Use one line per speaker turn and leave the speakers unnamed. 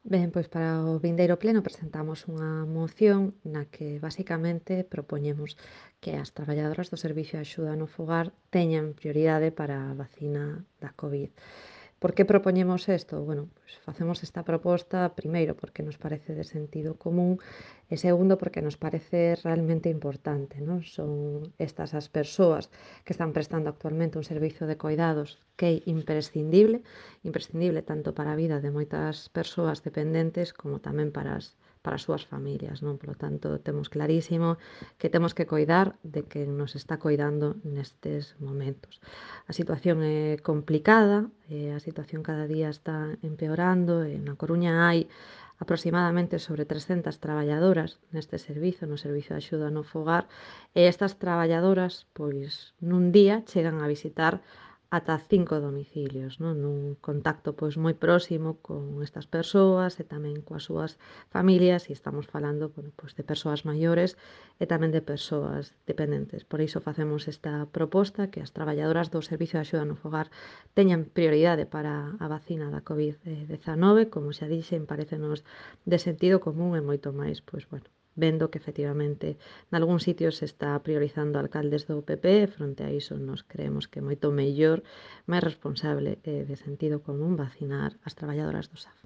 Ben, pois para o vindeiro pleno presentamos unha moción na que basicamente propoñemos que as traballadoras do Servicio de Axuda no Fogar teñan prioridade para a vacina da COVID. Por que propoñemos isto? Bueno, pois facemos esta proposta, primeiro, porque nos parece de sentido común e segundo, porque nos parece realmente importante, non? Son estas as persoas que están prestando actualmente un servizo de coidados que é imprescindible tanto para a vida de moitas persoas dependentes como tamén para as súas familias, non? Polo tanto, temos clarísimo que temos que coidar de quen nos está coidando nestes momentos. A situación é complicada, a situación cada día está empeorando e na Coruña hai aproximadamente sobre 300 traballadoras neste servizo, no servizo de axuda no fogar, e estas traballadoras, pois, nun día chegan a visitar ata 5 domicilios, non? Nun contacto pois moi próximo con estas persoas e tamén coas súas familias, e estamos falando, bueno, pois de persoas maiores e tamén de persoas dependentes. Por iso facemos esta proposta, que as traballadoras do Servicio de Axuda no Fogar teñan prioridade para a vacina da COVID-19, como xa dixen, parécenos de sentido común e moito máis, pois, bueno, vendo que efectivamente nalgúns sitios se está priorizando alcaldes do PP, e fronte a iso nos creemos que é moito mellor, máis responsable e de sentido común vacinar as traballadoras do SAF.